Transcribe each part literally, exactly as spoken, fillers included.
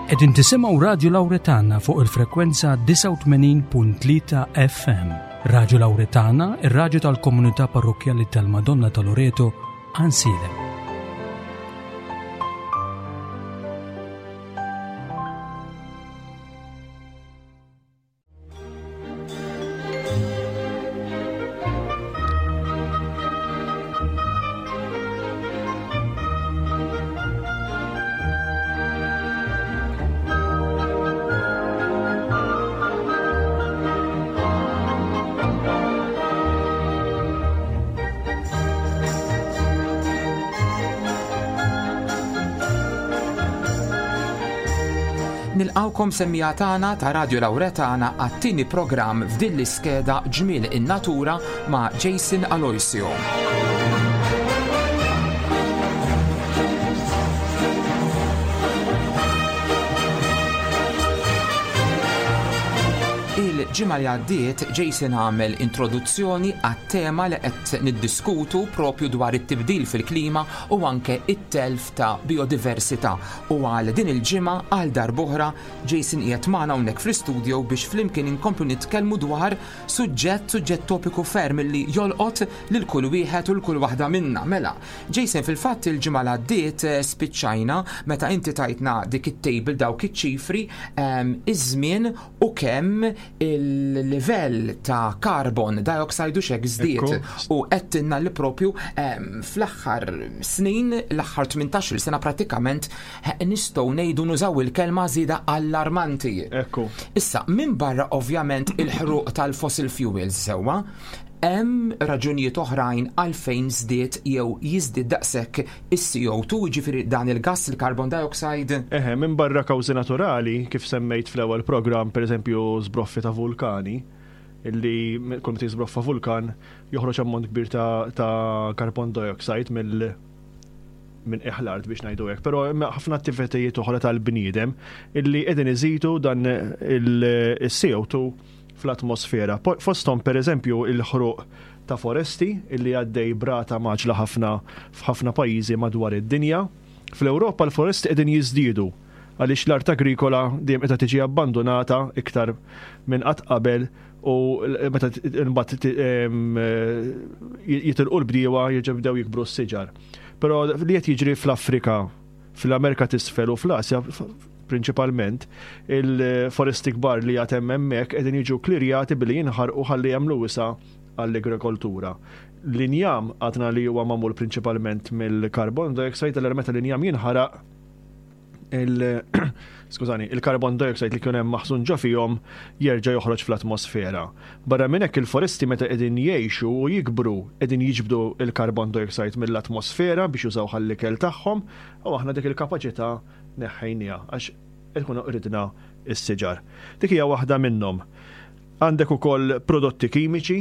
Qegħdin tisimgħu Radio Lauretana fuq il-frekwenza disgħa u tmenin punt tlieta F M. Radio Lauretana, ir-raġu tal-komunità parrokkjali tal-Madonna ta' Loreto, Għajnsielem. Nilqgħukom, semmiegħa tagħna ta' Radio Lauretana, għat-tieni programm f'din l-iskeda Ġmiel in-Natura ma' Jason Aloisio. Il-ġimgħa li għaddiet Jason għamel introduzzjoni għat-tema li qed niddiskutu propju dwar it-tibdil fil-klima u anke it-telf ta' biodiversità. U għal din il-ġimgħa, għal darb'oħra, Jason qiegħed magħna hawnhekk fl-istudio biex flimkien inkomplu nitkellmu dwar suġġett suġġett topiku ferm li jolqot lil kull wieħed u l kull waħda minna. Mela, Jason, fil-fatt il-ġimgħa li għaddiet eh, spiċċajna meta inti tajtna dik it-table, dawk iċ-ċifri, ehm, iż-żmien u kemm il-livell ta' carbon dioxide u xek żdied u għedtilna li propju ehm, fl-aħħar snin, l-aħħar tmintax-il sena pratikament, eh, nistgħu ngħidu, nużaw il-kelma żieda allarmanti. Ekku. Issa, minn barra ovvjament il-ħruq tal-fossil fuels, sewwa, hemm raġunijiet oħrajn għalfejn żdied jew jiżdied daqshekk is-C O two, ġifieri dan il-gas, il-carbon dioxide? Eħe, minn barra kawżi naturali, kif semmejt fl-ewwel programm, per eżempju, sbroffi ta' vulkani, illi kull meta jiżbroffa vulkan joħroġ ammont kbir ta', ta' carbon dioxide mill minn l-art, biex ngħidu hekk, però hemm ħafna attivitajiet oħra tal-bniedem illi qegħdin iżidu dan il-C O two fl-atmosfera. Po- Fosthom, per eżempju, il-ħruq ta' foresti illi għaddej b'rata mgħaġġla ħafna f'ħafna pajjiżi madwar id-dinja. Fl-Ewropa l-foresti qegħdin jiżdiedu għaliex l-art agrikola dejjem qiegħda tiġi abbandonata iktar minn qatt qabel u l- meta t- imbagħad t- em, eh, jitilqu l-bdiewa, jerġgħu jibdew jikbru s-siġar. Però li qed jiġri fl-Afrika, fl-Amerika t'Isfel u fl-Asja f- prinċipalment, il-foresti kbar li għad hemm hemmhekk qegħdin jiġu klirjati billi jinħarqu ħalli jagħmlu wisa għall-agrikoltura. L-injam għadna li huwa magħmul prinċipalment mill-carbon dioxide, allura meta l-injam jinħaraq, il skużani, il-carbon dioxide li kien hemm maħżun ġo fihom jerġa' joħroġ fl-atmosfera. Barra minn hekk, il-foresti meta qegħdin jgħixu u jikbru qegħdin jiġbdu il-carbon dioxide mill-atmosfera biex jużaw għall-ikel tagħhom, u aħna dik il-kapaċità neħħejniha għax ikunu qridna s-siġar. Dik hija waħda minnhom. Għandek ukoll prodotti kimiċi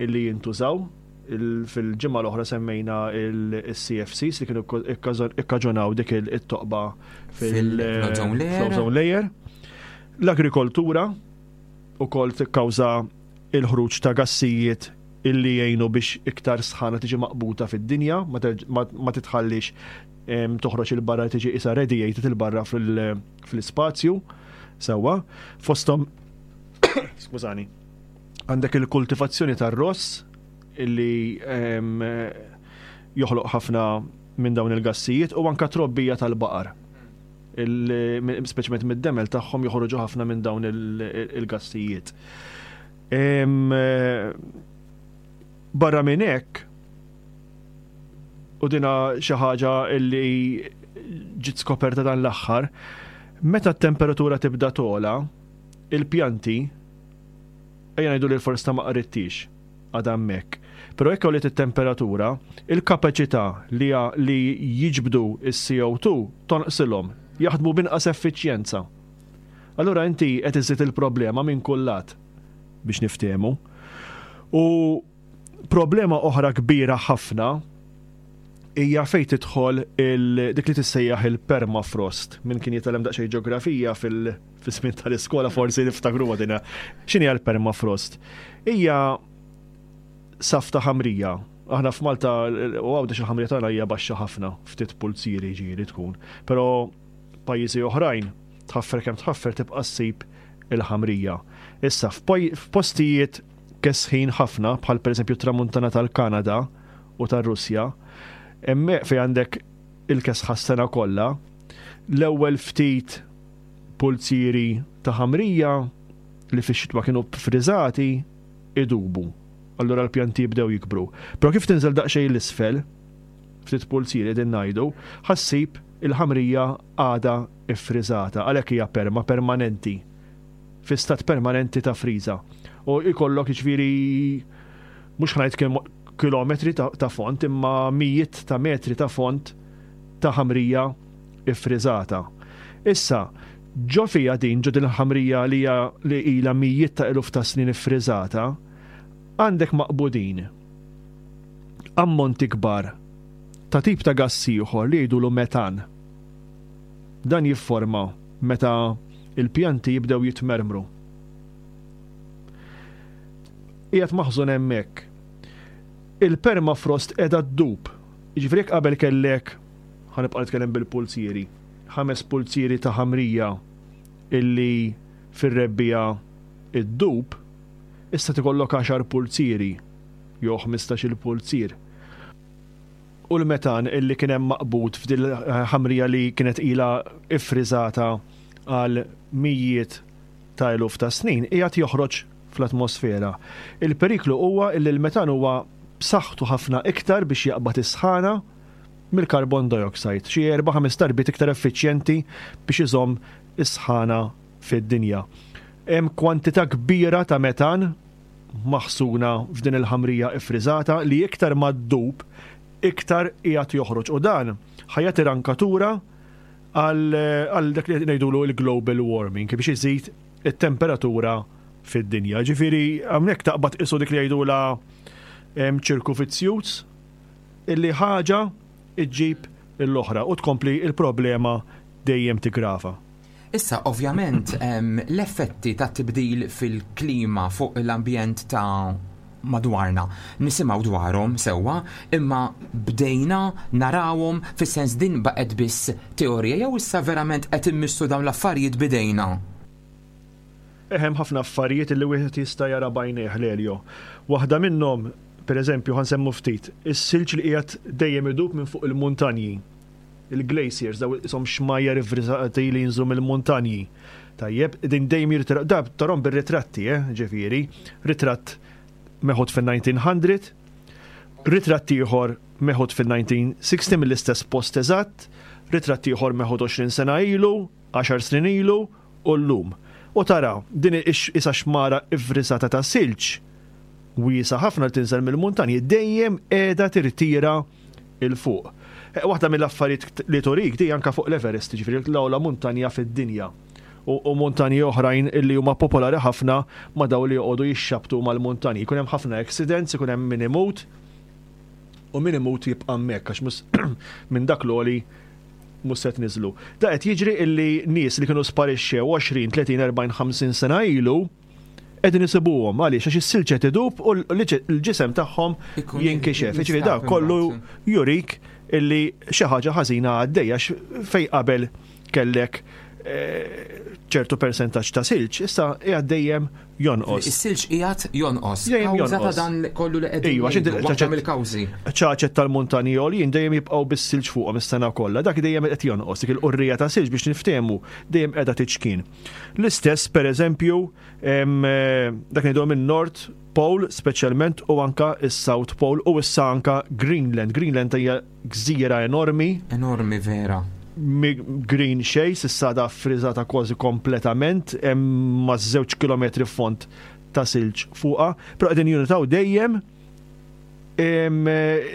illi jintużaw. Il- Fil-ġimgħa l-oħra semmejna il-C F Cs li kienu ikkaġonaw dik il-toqba fil-ozone layer. Fil-ozone layer. L-agrikoltura ukoll tikkawża il-ħruġ ta' gassijiet illi jgħinu biex iktar sħana tiġi maqbuta fid-dinja, ma terġ- ma ma titħallix em, toħroġ 'il barra, tiġi isa radiated 'il barra fil- fl-ispazju. Sewwa, fosthom, skużani, għandek il-kultivazzjoni tar-ross illi em, joħloq ħafna minn dawn il-gassijiet u anka trobbija tal-baqar. Il- Speċjalment mid-demel tagħhom joħorġu ħafna minn dawn il- il-gassijiet. Em, eh, Barra minn hekk, u dina xi ħaġa illi ġiet skoperta dan l-aħħar, meta t-temperatura tibda tola, il-pjanti, ejja ngħidu li l-foresta ma qridtix, għadha hemmhekk. Però jekk għoliet it-temperatura, il-kapaċità li, li jiġbdu is-C O two tonqsilhom, jaħdmu b'inqas effiċjenza. Allura inti qed iżid il-problema minn kull lat, biex niftehmu. U problema oħra kbira ħafna hija fejn tidħol il- dik li tissejjaħ il-permafrost. Min kien jitgħallem daqsxejn ġeografija fil- fis-żmien tal-iskola forsi niftakru dina. X'inhi l-permafrost? Hija saf ta' ħamrija. Aħna f'Malta u Għawdex il-ħamrija tagħna hija baxxa ħafna, ftit pulzieri ġieli tkun. Però pajjiżi oħrajn Tħaffer kemm tħaffer tibqa' ssib il-ħamrija. Issa f'postijiet kesħin ħafna, bħal pereżempju tramuntana tal-Kanada u tar-Russja, hemmhekk fejn għandek il-kesħa s-sena kollha, l-ewwel ftit pulzieri ta' ħamrija li fix-xitwa kienu friżati idubu. Allura l-pjanti jibdew jikbru. Però kif tinżel daqsxejn l-isfel, ftit pulzieri qegħdin ngħidu, ħassib il-ħamrija għadha iffriżata, għalhekk hija perma permanenti, fi stat permanenti ta' friża. U jkollok jiġifieri mhux ħa ngħid kilometri ta', ta font, imma mijiet ta' metri ta' font ta' ħamrija iffriżata. Issa, ġo fija din, ġo din il-ħamrija li hija li ilha mijiet ta' eluf ta' snin iffriżata, għandek maqbudin ammonti kbar ta' tip ta' gass ieħor li jgħidulu metan. Dan jifforma meta il-pjanti jibdew jitmermru. Qiegħed maħżun hemmhekk. Il-permafrost qiegħda ddub. Jiġifieri jekk qabel kellek, ħa nibqa' nitkellem bil-pulzieri, ħames pulzieri ta' ħamrija illi fir-rebbiegħa iddub, issa tikollok għaxar pulzieri jew ħmistax-il pulzier. U l-metan illi kien hemm maqbud f'dil ħamrija li kienet ilha iffriżata għal mijiet ta' eluf ta' snin qiegħed joħroġ fl-atmosfera. Il-periklu huwa illi l-metan huwa b'saħħtu ħafna iktar biex jaqbad is-sħana mill-carbon dioxide, xi erba' ħames darbiet iktar effiċjenti biex iżomm is-sħana fid-dinja. Hemm kwantità kbira ta' metan maħsuna f'din il-ħamrija iffriżata li iktar ma ddub iktar qiegħed joħroġ, u dan ħa jagħti rankatura għal dak li ngħidulu il-global warming biex iżid it-temperatura fid-dinja. Ġifieri hawnhekk taqbad qisu dik li jgħidula ċirku fizzjuż, illi ħaġa iġġib l-oħra u tkompli il-problema dejjem tigrava. Issa, ovvjament, l-effetti ta' tibdil fil-klima fuq l-ambjent ta' madwarna nisimgħu dwarhom sewwa, imma bdejna narawhom fis-sens din baqgħet biss teorija jew issa verament qed immissu dawn l-affarijiet bidejna? Hemm ħafna affarijiet li wieħed jista' jara b'għajnejh, Lelio. Waħda minnhom, pereżempju, ħa nsemmu ftit, is-silġ li qiegħed dejjem idub minn fuq il-muntanji. Il-glaciers, daw isom xmajjar ivriżati li jinżlu mill-muntanji. Tajjeb, din dejjem jirtira, da tarhom bir-ritratti, eh, ġifieri, ritratt meħud fin-nineteen hundred, ritratt ieħor meħud fin-nineteen sixty mill-istess post eżatt, ritratt ieħor meħud għoxrin sena ilu, għaxar snin ilu u llum. U tara, din isa xmara ivriżata ta' silġ wiesa ħafna li tinżel mill-muntanji dejjem qiegħda tirtira il fuq. Waħda mill-affarijiet li turik di anka fuq l-Everest, ġifieri l-ogħla muntanja fid-dinja. U, u muntanji oħrajn illi huma popolari ħafna ma' daw li joqogħdu jixxabtu mal-muntanji. Jkun hemm ħafna accidents, ikun hemm min imut, u min imut jibqa' hemmhekk għax mhux minn dak l-għoli mhux se tniżlu. Da qed jiġri illi nies li kienu sparixxew għoxrin, tletin, erbgħin, ħamsin sena ilu qegħdin isibuhom għaliex għax is-silġ qed idub u l-ġisem tagħhom Ikun jinkixef. jinstab Jiġifieri da kollu imbagħad. jurik illi xi ħaġa ħażina għaddejja għax fej qabel kellek, eh, ċertu persentaġġ ta' silġ, issa qiegħed dejjem jonqos. Is-silġ qiegħed jonqos. Dejjem Kawża ta' jonqos. dan kollu li qegħdin Ejwa, għax inti ngħidu, waħda ċaċet mill-kawżi. ċaċet tal-muntanji għoljin dejjem jibqgħu bis-silġ fuqhom is-sena kollha. Dak dejjem qed jonqos, dik il-qurrija ta' silġ biex niftehmu dejjem qiegħda tiċkien. L-istess pereżempju, em, eh, dak ngħidu minn North Pole speċjalment u anka is-South Pole u issa anka Greenland. Greenland hija gżira enormi. Enormi vera. Mi-, green xej, s'issa da friżata kważi kompletament, hemm ma' żewġ kilometri font ta' silġ fuqha, però qegħdin jinnutaw dejjem, em,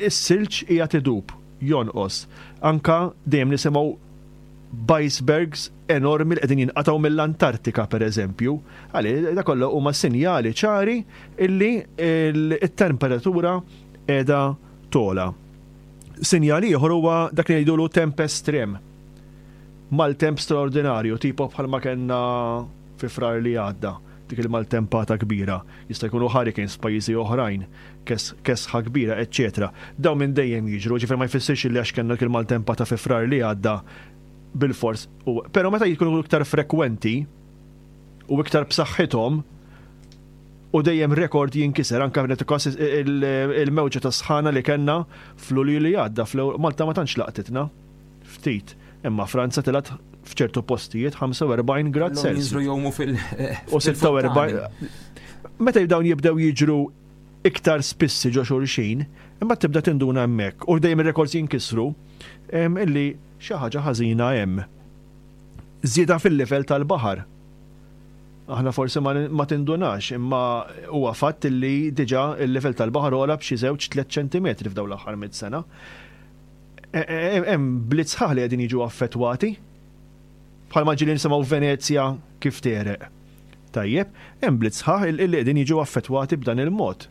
is-silġ qiegħed idub, jonqos. Anka dejjem nisimgħu icebergs enormi li qegħdin jinqatgħu mill-Antartika pereżempju. Għalli da kollu huma sinjali ċari illi il-temperatura qiegħda tola. Sinjali ieħor huwa dak li jgħidulu temp estrem. Maltemp straordinarju, tipo bħalma kellna fi Frar li għadda, dik il-maltempata kbira. Jista' jkunu hurricanes f'pajjiżi oħrajn, kes-, kesħa kbira, eċċetera. Dawn minn dejjem jiġru, ġifier ma jfissirx li għax kellna dik il-maltempata fi Frar li għadda bil-fors. Però meta jkunu iktar frekwenti u iktar b'saħħithom u dejjem rekord jinkiser, anka il-mewġa ta' sħana li kellna fl-Lulju li għadda, Malta ma tantx laqtitna, ftit. Imma Franza telgħet f'ċertu postijiet ħamsa u erbgħin grad Celsius. Jinżlu jgħumu fil- U sitta u erbgħin. Meta dawn jibdew jiġru iktar spissi ġo xulxin, imma tibda tinduna hemmhekk u dejjem ir-rekords jinkisru illi xi ħaġa ħażina hemm. Żieda fil-livell tal-baħar. Aħna forsi ma tindunax, imma huwa fatt illi diġà il-livell tal-baħar għola b'xi żewġ tliet ċentimetri f'dawn l-aħħar mitt sena. E, e, e, hemm bliet sħaħ li qegħdin jiġu affettwati. Bħalma ġieli nisimgħu Venezja kif tegħreq. Tajjeb, hemm bliet sħaħ li qegħdin jiġu affettwati b'dan il-mod.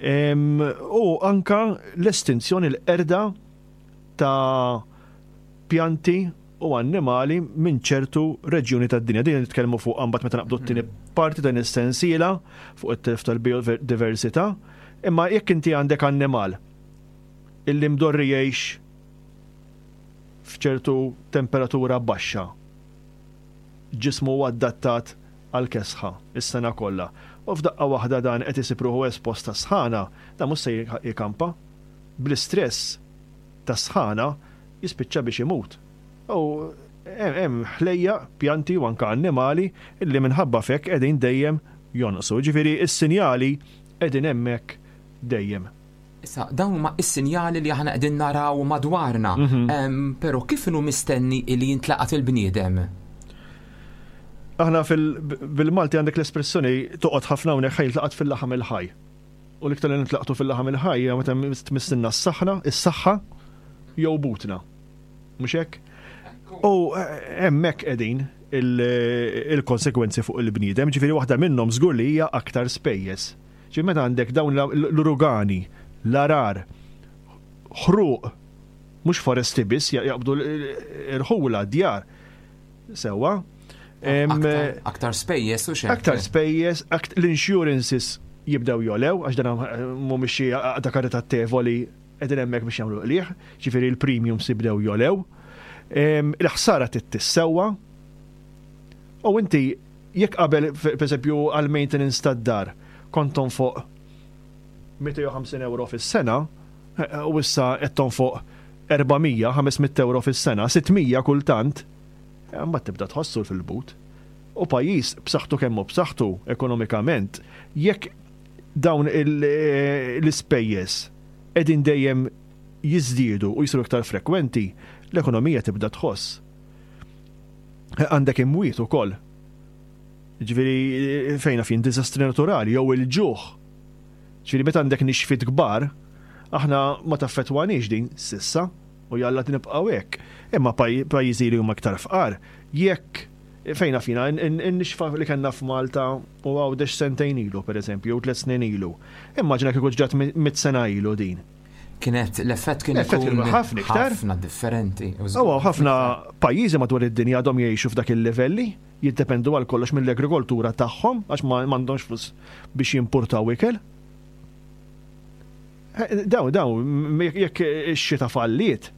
U anka l-estinzjoni, l-qerda ta' pjanti u annimali minn ċertu reġjuni tad-dinja. Din nitkellmu fuq mbagħad meta naqbdu t-tieni parti dan is-sensiela fuq it-telf tal-biodiversità. Imma jekk inti għandek annimal illi mdorri jgħix f'ċertu temperatura baxxa, ġismu huwa adattat għal kesħa is-sena kollha. U f'daqqa waħda dan qed isib ruħu espost ta' sħana, dan mhux se jikampa. Bl-istress ta' sħana jispiċċa biex imut. U hemm ħlejja, pjanti u anka annimali illi minħabba fek qegħdin dejjem jonqsu. Ġifieri is-sinjali qegħdin hemmhekk dejjem. Issa, dawn huma is-sinjali li aħna qegħdin naraw madwarna. Mhm. Però kif inhu mistenni li jintlaqat il-bniedem? Aħna bil-Malti għandek l-espressjoni toqgħod ħafna hawnhekk, ħa jintlaqat fil-laħam il-ħaj. U l-iktar li nintlaqtu fil-laħam il-ħaj hija meta tmissilna s-saħħa, is-saħħa jew butna. Mhux hekk? U eh, hemmhekk qegħdin il-konsekwenzi fuq il-bniedem, ġifieri waħda minnhom żgur li hija aktar spejjeż. Ġifieri meta għandek dawn l-uragani, l-għargħar, ħruq, mhux foresti biss, jaqbdu l-irħula, djar. Sewwa. Aktar spejjeż u xejn. Aktar spejjeż, l-insurances jibdew jogħlew, għax dan mhumiex xi għaqda karitatevoli qegħdin hemmhekk biex jagħmlu qligħ, ġifieri l-premiums jibdew jogħlew. Il-ħsara tissewwa. U inti jekk qabel, per eżempju, għal-maintenance tad-dar kont tonfoq mitejn u ħamsin euro fis-sena, eh, u issa qed tonfoq erba' mija, ħames mitt euro fis-sena, sitt mija kultant, eh, mbagħad tibda tħossu fil-but. U pajjiż b'saħħtu kemm hu b'saħħtu ekonomikament, jekk dawn eh, l-ispejjeż qegħdin dejjem jiżdiedu u jisiru iktar frekwenti, l-ekonomija tibda tħoss. Għandek imwiet ukoll. Ġifieri fejna fin diżastri naturali jew il-ġuħ. Ġifieri meta għandek nixfiet kbar, aħna ma taffetwanix din s'issa u jalla nibqgħu hekk. Imma pajjiżi li huma iktar fqar, jekk fejna fina, n-nixfa li kellna f'Malta u Għawdex sentejn ilu, per eżempju, u tliet snin ilu. Immaġina kieku ġrat mitt sena ilu din. Kienet l-effett kien L-effett kien ħafna iktar. Ħafna differenti. Aw, ħafna pajjiżi madwar id-dinja għadhom jgħixu f'dak il-livelli, jiddependu għal kollox mill-agrikoltura tagħhom għax ma m'għandhomx flus biex jimportaw ikel. Eh, daw, daw, jekk ix-xita falliet,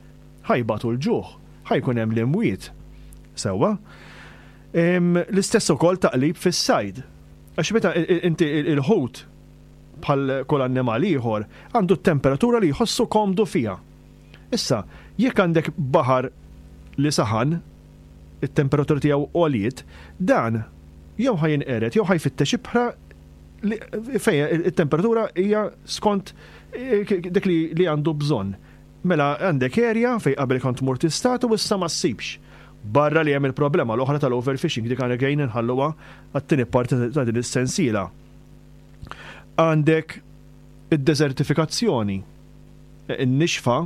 ħa jbatu l-ġuħ, ħa jkun hemm l-imwiet. Sewwa. L-istess ukoll taqlib fis-sajd. Għax meta inti il-ħut, bħal kull annimal ieħor, għandu temperatura li jħossu komdu fiha. Issa, jekk għandek baħar li saħan, it-temperatura tiegħu għoliet, dan jew ħa jinqered jew ħa jfittex ibħra fejn it-temperatura hija skont eh, dik li għandu bżonn. Mela għandek area fej qabel kont mur tistad u issa ma ssibx. Barra li hemm il-problema l-oħra tal-overfishing, dik għandek għajn nħalluha għat-tieni parti ta' din is-sensiela. Għandek id-desertifikazzjoni. In-nixfa,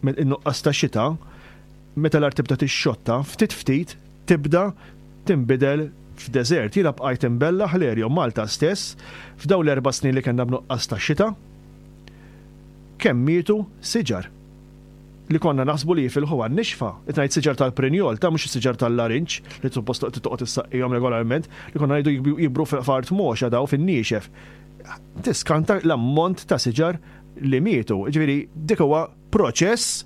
in-nuqqas ta' xita, meta l-art tibda tixxotta, ftit ftit tibda tinbidel f'deżert. Jiena bqajt imbellah l-erjo Malta stess f'daw l-erba' snin li kellna b'nuqqas ta' xita. Kemm mietu siġar li konna naħsbu li jifilħu għan-nixfa. Itnajt siġar tal-prinjol, ta' mhux siġar tal-larinġ li suppost toqgħod issaqqihom regolarment, li konna ngħidu jikbru f'art moxa daw fin-niexef. Tiskanta l-ammont ta' siġar li mietu. Ġifieri dik huwa proċess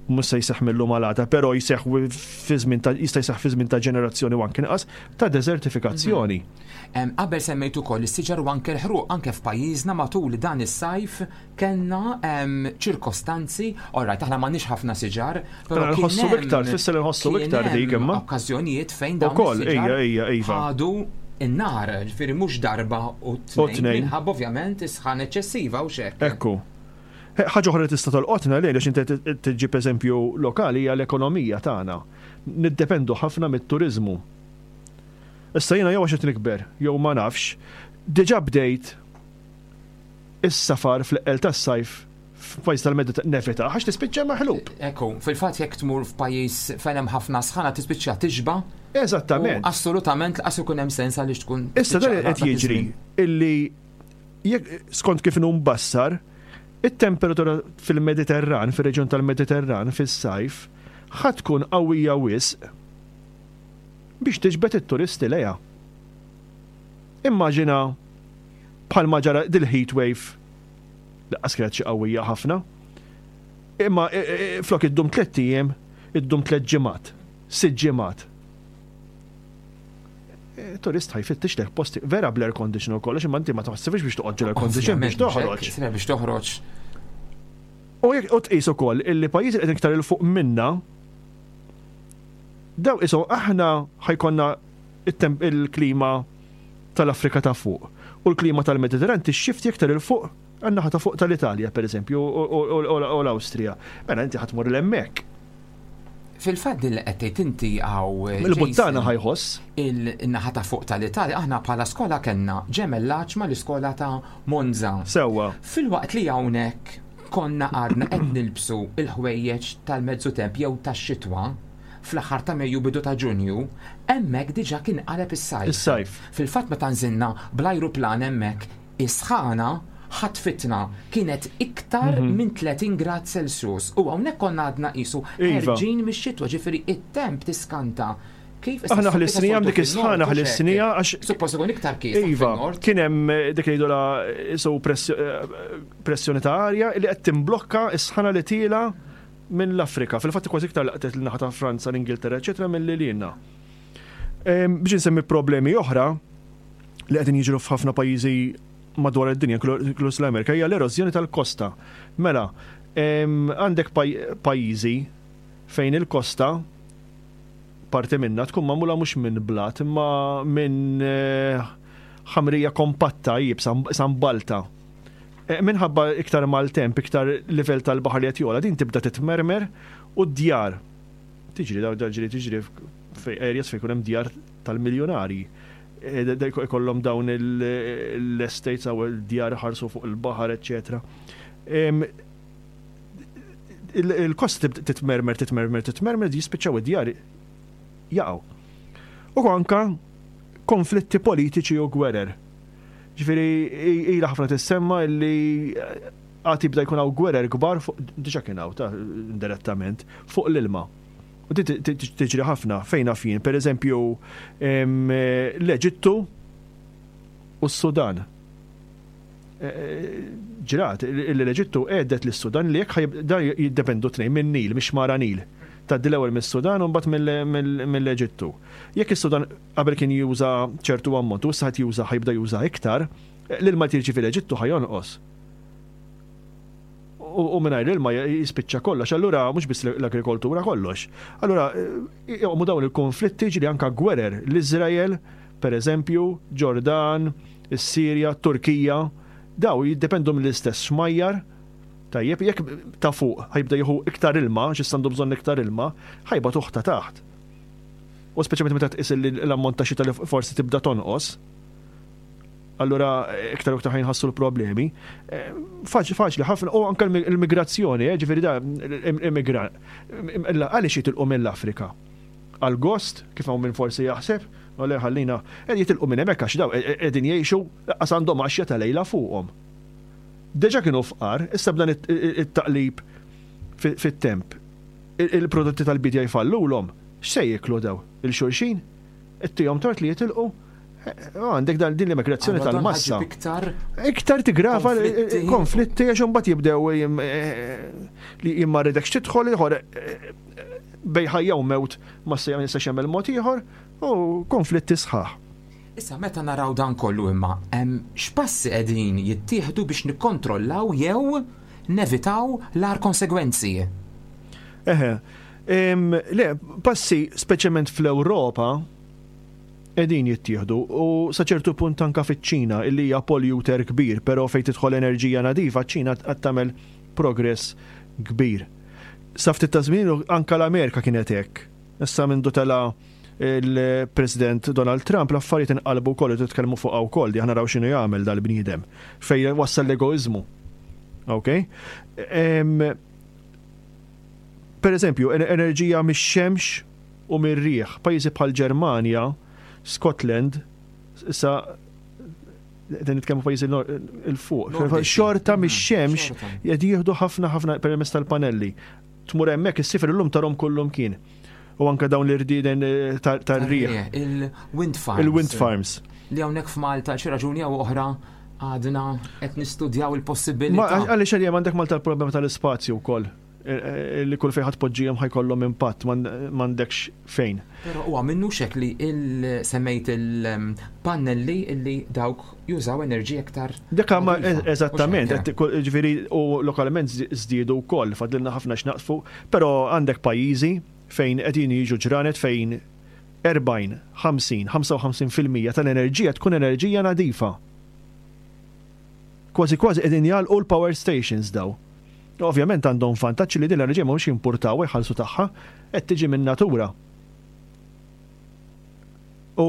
Mhux se jseħħ mill-lum għal għada, però jseħħ fi żmien ta' jista' jseħħ fi żmien ta' ġenerazzjoni u anke inqas ta' desertifikazzjoni. Em, Qabel semmejtu ukoll is-siġar u anke l-ħruq, anke f'pajjiżna matul dan is-sajf kellna em, ċirkostanzi, alright, aħna m'għandniex ħafna siġar, però Aħna kien nħossu hemm- iktar, tfisser li nħossu kien iktar dik hemm imma. Okkażjonijiet fejn dawn Ukoll, is-siġar ejja, ejja, iva. ħadu in-nar, ġifieri mhux darba u U tnejn, tnejn. minħabba ovvjament is-sħan eċċessiva u xek. Ekku. Ħaġa oħra li tista' tolqotna lejn għax inti tiġib eżempju lokali hija l-ekonomija tagħna. Niddependu ħafna mit-turiżmu. Issa jiena jew għax qed nikber, jew ma nafx, diġà bdejt is-safar fl-eqqel tas-sajf f'pajjiż tal-Mediterran nevita għax tispiċċa maħlub. Ekku, fil-fatt jekk tmur f'pajjiż fejn hemm ħafna sħana tispiċċa tixba. Eżattament. U assolutament lanqas ikun hemm sens għaliex tkun Issa dan tiċċaqlaq qed dak jiġri iż-żmien. illi jekk skont kif inhu mbassar, it-temperatura fil-Mediterran, fir-reġjun tal-Mediterran fis-sajf, ħa tkun qawwija wisq biex tiġbed it-turisti lejha. Immaġina bħalma ġara dil-heat wave lanqas kienet xi qawwija ħafna. Imma e, e, e, flok iddum tliet ijiem, iddum tliet ġimgħat, sitt ġimgħat. E, Turist ħa jfittex lek posti vera bl-air condition u kollox, imma inti ma taħsibx biex toqgħod air condition biex Ovvjament, mhux hekk, toħroġ. sira biex toħroġ. U jekk u tqis ukoll illi pajjiżi qegħdin iktar 'il fuq minna daw iso aħna ħa jkollna it-temp il-klima tal-Afrika ta' fuq u l-klima tal-Mediterran tixxifti iktar 'il fuq għan-naħa ta' fuq tal-Italja per eżempju u- u u- u l-Awstrija. Mela inti ħa tmur 'l hemmhekk. Fil-fatt din li qed tgħid inti hawn eh, Il-buttana Jason, ħa jħoss. il-naħa ta' fuq tal-Italja, aħna bħala skola kellna ġemellaġġ mal-iskola ta' Monza. Sewwa. Filwaqt li hawnhekk konna għadna qed nilbsu il-ħwejjeġ tal-mezzu temp jew tax-xitwa fl-aħħar ta' Mejju, bidu ta' Ġunju, hemmhekk diġà kien qaleb is-sajf. Is-sajf. Fil-fatt meta nżilna bl-ajruplan hemmhekk, is-sħana ħatfitna, kienet iktar Mhm. minn tletin grad Celsius. U hawnhekk konna għadna qisu Iva. ħerġin mix-xitwa, ġifieri it-temp tiskanta. Kif issa Aħna issa ħlisnija soltu dik is-sħana fin-nord, u ħlisnija xek. għax Suppost ikun iktar kies Iva, fin-nord. kien hemm eh, dik li jgħidula so pressjoni ta' arja li qed timblokka s-sħana li tiela minn l-Afrika. Fil-fatt kważi iktar laqtet l-naħa ta' Franza, l-Ingilterra, eċetera, mill-li lilna. Em, Biex insemmi problemi oħra li qegħdin jiġru f'ħafna pajjiżi madwar id-dinja, inkluż l-Amerika, hija l-erożjoni tal-kosta. Mela, em, għandek paj- pajjiżi fejn il-kosta parti minna tkun magħmula mhux minn blat imma minn eh, ħamrija kompatta iebsa sambalta. Eh, Minħabba iktar mal-temp, iktar livell tal-baħar li qed jogħla, din tibda titmermer u d-djar. Tiġri daw ġiri tiġri fej areas fejn ikun hemm djar tal-miljonari. Eh, da- da Ikollhom dawn il- l-estates aw il-djar ħarsu fuq il-baħar, eċetera. Em, il- Il-kost tibda titmermer, titmermer, titmermer, jispiċċaw id-djar jaqgħu. U anka konflitti politiċi u gwerer. Ġifieri, ila ħafna tissemma illi għad jibda jkun hawn gwerer kbar fuq, diġà kien hawn ta' indirettament, fuq l-ilma. U di tiġri ħafna fejn fejn, per eżempju, em, l-Eġittu u s-Sudan. Eh, Ġrat, l-Eġittu għedet lis-Sudan li jekk ħajb- dan jiddependu tnejn minn Nil, mhix mara Nil. Tgħaddi l-ewwel mis-Sudan u mbagħad mill- mill- mill-Eġittu. Jekk is-Sudan qabel kien juża ċertu ammont u issa ħadd juża ħa jibda juża iktar, l-ilma tirċi fil-Eġittu ħa jonqos. U u mingħajr l-ilma jispiċċa kollox, allura mhux biss l-agrikoltura, kollox. Allura eh, joqmu dawn il-konflitti, ġili anka gwerer, l-Iżrael, per eżempju, Ġordan, is-Sirja, Turkija, daw jiddependu mill-istess xmajjar. Tajjeb, jekk ta' fuq ħa jibda jieħu iktar ilma, xi għandu bżonn iktar ilma, ħa jbatuh ta' taħt. U speċjalment meta tqis li l-ammont ta' xita li forsi tibda tonqos, allura iktar u iktar ħa jinħassu l-problemi. Eh, Faċli faċli ħafna, u anke l-migrazzjoni, eh, ġifieri da immigrant. Għaliex jitilqu mill-Afrika? Għal gost, kif hawn minn forsi jaħseb, u le ħallina, qed jitilqu minn hemmhekk għax daw qegħdin jgħixu qas għandhom għaxja ta' lejla fuqhom. Deġa kienu fqar, issa b'dan it-taqlib fit-temp. Il-prodotti tal-bidja jfallulhom, x'se jieklu daw? Il-xulxin? Ittihom tort li jitilqu? Għandek dan din l-immigrazzjoni tal-massa. Iktar Iktar tigrava konflitti għax imbagħad jibdew li jimma rridekx tidħol ieħor bejn ħajja u mewt ma se jistax jagħmel mod ieħor u konflitti sħaħ. Issa, meta naraw dan kollu imma, x'passi qegħdin jittieħdu biex nikkontrollaw jew nevitaw l-agħar konsegwenzi? Eħe, le, passi speċjalment fl-Ewropa qegħdin jittieħdu u sa ċertu punt anka fiċ-Ċina, illi hija polluter kbir, però fejn tidħol enerġija nadifa, ċ-Ċina qed tagħmel progress kbir. Sa ftit ta' żmien anka l-Amerika kienet hekk. Issa mindu tela il-President Donald Trump, l-affarijiet inqalbu wkoll, titkellmu fuq wkoll di aħna naraw x'inhu jagħmel dal-bniedem fejn wassal l-egoiżmu. Ok? Per eżempju, enerġija mix-xemx u mir-riħ. Pajjiżi bħal Ġermanja, Scotland, issa din nitkellmu pajjiżi 'l fuq. Xorta mix-xemx qed jieħdu ħafna ħafna permezz tal-panelli. Tmur hemmhekk issifir illum tarahom kullum kien. U anke dawn l-irdieden eh, tar-riħ. Il-wind farms. Il-wind farms. Li hawnhekk f'Malta xi raġuni jew oħra għadna qed nistudjaw il-possibilità. Għaliex għalija għandek Malta l-problema tal-ispazju wkoll. Eh, eh, li kull fejn ħa tpoġġihom ħa jkollhom impatt, m'għandekx fejn. Però huwa minnu xek li il-semmejt il-pannelli li dawk jużaw enerġija iktar. Dik ma eżattament, ġifieri u lokalment żdiedu wkoll, fadlilna ħafna x'naqsfu, però għandek pajjiżi fejn qegħdin jiġu ġranet fejn erbgħin, ħamsin, ħamsa u ħamsin fil-mija tal-enerġija tkun enerġija nadifa. Kważi kważi qegħdin jagħlqu l-power stations daw. Ovvjament għandhom vantaġġ li din l-enerġija mhux jimportaw, jħallsu tagħha, qed tiġi minn natura. U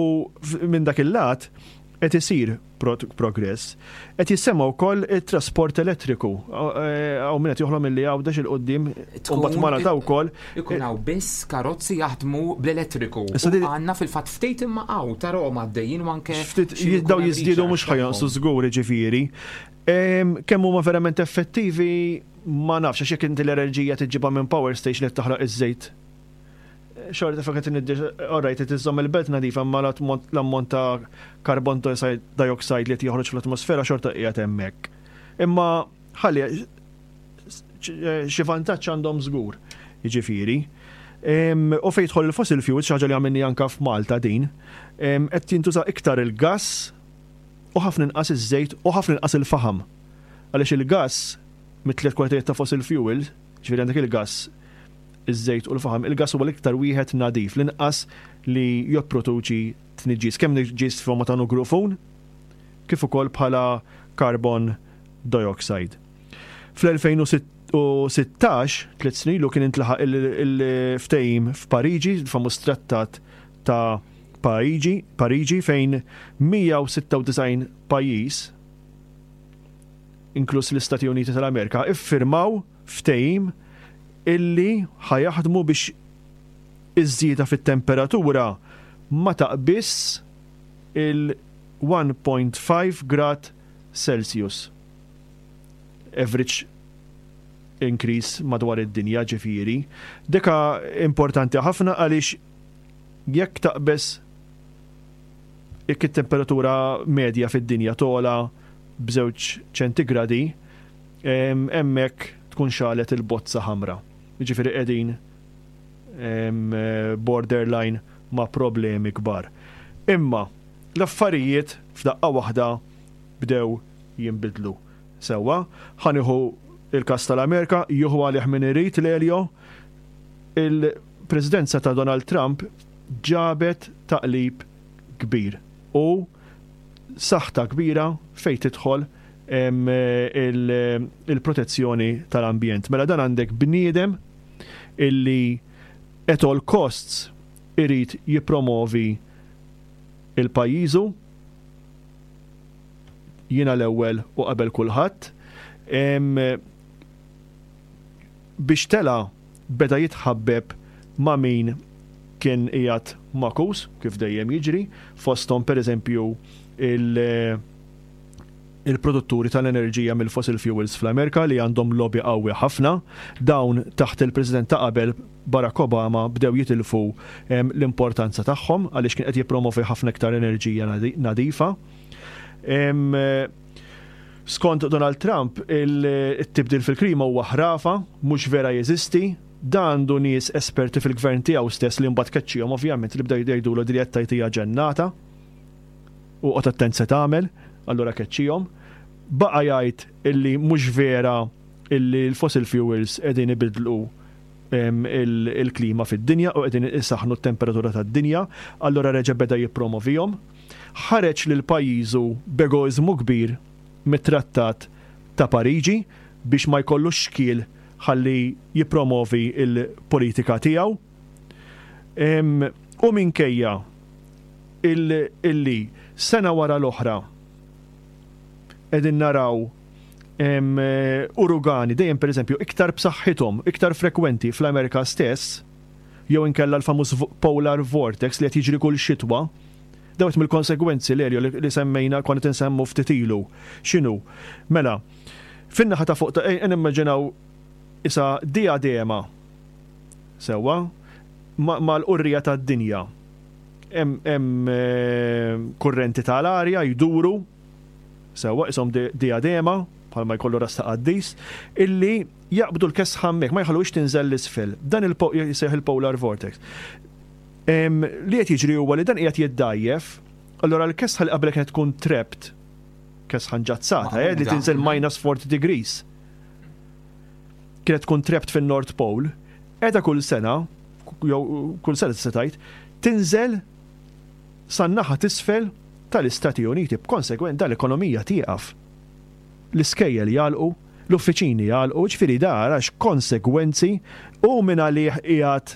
minn dak il-lat qed isir progress. Qed jissemma wkoll it-trasport elettriku. Hawn min qed joħlom milli Għawdex 'il quddiem u mbagħad Malta wkoll. Ikun hawn biss karozzi jaħdmu bl-elettriku. Għandna fil-fatt ftit imma hawn tarahom għaddejjin u anke. Ftit daw jiżdiedu, mhux ħa jonqsu żgur, ġifieri. Kemm huma verament effettivi ma nafx, għax jekk inti l-enerġija tiġibha minn power station li taħraq iż-żejt, xorta fakat alright, iżżomm il-belt nadifa, ma l-ammont ta' carbon dioxide li joħroġ fl-atmosfera xorta qiegħed hemmhekk. Imma ħalli xi vantaġġ għandhom żgur, jiġifieri. U fejn jidħol il-fossil fuels, xi ħaġa li għamilni anka f'Malta din, qed jintuża iktar il-gas u ħafna inqas iż-żejt u ħafna inqas il-faħam. Għaliex il-gas, mit-tliet kwalitajiet ta' fossil fuel, ġifieri għandek il-gas, iż-żejt u l-faħam, il-gas huwa l-iktar wieħed nadif, l-inqas li jipproduċi tniġġis, kemm tniġġis forma ta' nugrufun, kif ukoll bħala carbon dioxide. Fl-elfejn u sittax, tliet snin ilu, kien intlaħaq il-ftehim f'Pariġi, il-famuż trattat ta' Pariġi, Pariġi fejn mija u sitta u disgħin pajjiż, inkluż l-Istati Uniti tal-Amerika, iffirmaw ftehim illi ħa jaħdmu biex iż-żieda fit-temperatura ma taqbiż il-wieħed punt ħamsa grad Celsius. Average increase madwar id-dinja, ġifieri. Deka importanti ħafna għaliex jekk taqbeż, jekk it-temperatura medja fid-dinja togħla b'żewġ ċentigradi, hemmhekk tkun xegħlet il-bozza ħamra. Ġifieri qegħdin borderline ma' problemi kbar. Imma l-affarijiet f'daqqa waħda bdew jinbidlu. Sewwa, ħa nieħu il-kas tal-Amerika, jieħu għalih min irid l-Elio, il-presidenza ta' Donald Trump ġabet taqlib kbir u saħta kbira fejn tidħol il-protezzjoni tal-ambjent. Mela dan għandek bniedem illi at all costs irid jipromovi il-pajjiżu, jiena l-ewwel u qabel kulħadd. Biex tela beda jitħabbeb ma' min kien qiegħed makus, kif dejjem jiġri, fosthom per eżempju il- Il-produtturi tal-enerġija mill-fossil fuels fl-Amerika li għandhom lobby qawwi ħafna. Dawn taħt il-President ta' qabel, Barack Obama, bdew jitilfu l-importanza tagħhom għaliex kien qed jippromovi ħafna iktar enerġija nadifa. Skont Donald Trump, il-tibdil fil-klima huwa ħrafa, mhux vera jeżisti. Dan għandu nies esperti fil-gvern tiegħu stess li mbagħad keċċihom ovvjament, li bdew jgħidulu li qed tgħid ġennata u qgħod attent se tagħmel, allura keċċihom. Baqa' jgħid illi mhux vera illi l-fossil fuels qegħdin ibidlu il-klima fid-dinja u qegħdin isaħnu t-temperatura tad-dinja, allura reġa' beda jippromovihom. Ħareġ lil pajjiżu b'egoiżmu kbir mit-Trattat ta' Pariġi biex ma jkollux xkiel ħalli jippromovi il-politika tiegħu. U minkejja illi sena wara l-oħra qegħdin naraw uragani dejjem, pereżempju, iktar b'saħħithom, iktar frekwenti fl-Amerika stess, jew inkella l-famuż polar vortex li qed jiġri kull xitwa, dawk mill-konsegwenzi li li semmejna konna tinsemmu ftit ilu. X'inhu? Mela, fin-naħa ta' fuq, nimmaġinaw isa diadema sewwa mal-qurrija tad-dinja. Hemm eh, kurrenti tal-arja jduru sewwa isom diadema bħalma jkollu ras ta' qaddis, illi jaqbdu l-kesħa hemmhekk, ma jħallux tinżel l-isfel. Dan jisejjaħ il-polar vortex. Li qed jiġri huwa li dan qiegħed jiddajjef, allura l-kesħa li qabel kienet tkun trapped, kesħa nġazzata, eh, li tinżel minus forty degrees, kienet tkun trapped fin-North Pole, qiegħda kull sena, jew kull sena tista' tgħid, tinżel san-naħa t'isfel tal-Istati Uniti, b'konsegwent dal-ekonomija tieqaf. L-iskejjel jagħlqu, l-uffiċini jagħlqu, ġifieri dar għax konsegwenzi u minn għalih qiegħed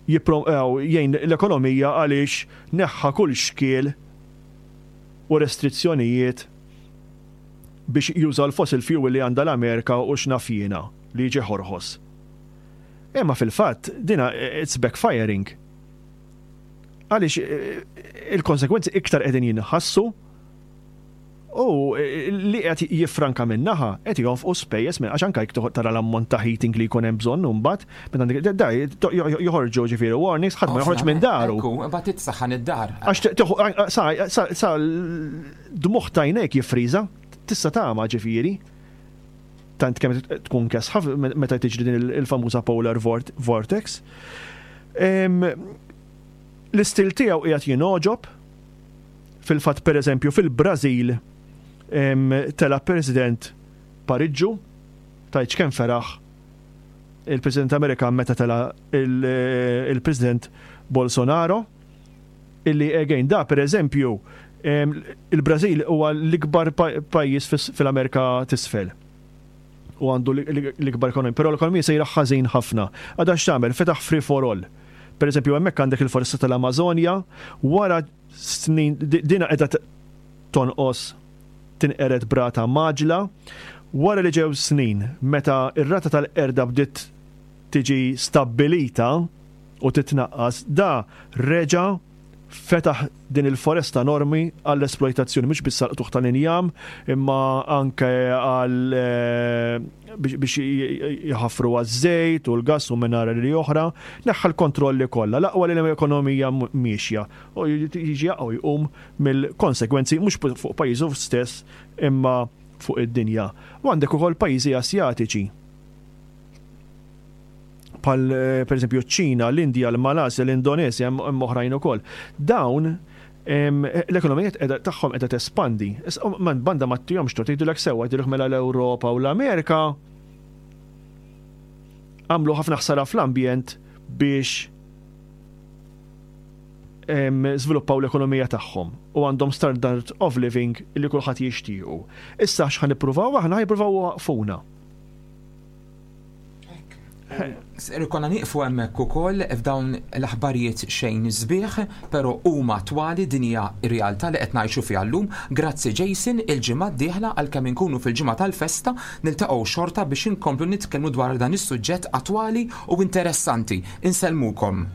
jgħin l-ekonomija għaliex neħħa kull xkiel u restrizzjonijiet biex juża l-fossil fuel li għandha l-Amerika u x'naf jiena li jiġi ħorħos. Imma fil-fatt dina it's backfiring. Għaliex eh, il-konsekwenzi iktar qegħdin jinħassu u eh, li qed jiffranka minnaħa qed jonfqu spejjeż minn għax anke jekk tara l-ammont ta' heating li jkun hemm bżonn imbagħad da joħorġu, ġifieri, warnings, ħadd ma joħroġ minn daru. Ekku, mbagħad titsaħħan id-dar. Għax sa sa dmuħ tajnek jiffriża, tista' tagħma, ġifieri. Tant kemm tkun kesħa meta tiġri din il-famuża polar vortex. L-istil tiegħu qiegħed jingħoġob. Fil-fatt, pereżempju, fil-Brażil tela president pariġġu, tajċ kemm feraħ il-President Amerikan meta tela il-President Bolsonaro, illi again da, per eżempju, il-Brażil huwa l-ikbar pajjiż fil-Amerika t'Isfel u għandu l-ikbar ekonomija, però l-ekonomija sejra ħażin ħafna. Għada x'tagħmel? Fetaħ free for all. Per eżempju, hemmhekk għandek il-foresta tal-Amazonja, wara snin dina qiegħda tonqos, tinqered b'rata mgħaġġla, wara li ġew snin meta ir-rata tal-qerda bdiet tiġi stabbilita u titnaqqas, da reġa fetaħ din il-foresta enormi għall-esploitazzjoni, mhux biss għall-qtugħ tal-injam, imma anke għal eh, biex jħaffru għaż-żejt u l-gas u minerali oħra, neħħa l-kontrolli kollha, l-aqwa li l-ekonomija miexja u jiġi jaqgħu jqum mill-konsekwenzi mhux fuq pajjiżu stess imma fuq id-dinja. U għandek ukoll pajjiżi Asjatiċi bħal eh, per eżempju ċ-Ċina, l-Indja, l-Malasja, l-Indonesja, hemm oħrajn ukoll. Dawn l-ekonomija tagħhom qiegħda tespandi. Man banda ma tihomx tort, jgħidulek sewwa, jgħidulek mela l-Ewropa u l-Amerika għamlu ħafna ħsara fl-ambjent biex żviluppaw l-ekonomija tagħhom u għandhom standard of living li kulħadd jixtiequ. Issa x'ħa nippruvaw aħna, jippruvaw waqfuna. Konna nieqfu hemmhekk ukoll f'dawn l-aħbarijiet xejn sbieħ, però huma attwali, din hija r-realtà li qed ngħixu fiha llum. Grazzi Jason, il-ġimgħa d-dieħla, għalkemm inkunu fil-ġimgħa tal-festa, niltaqgħu xorta biex inkomplu nitkellmu dwar dan is-suġġett attwali u interessanti. Insellmukom.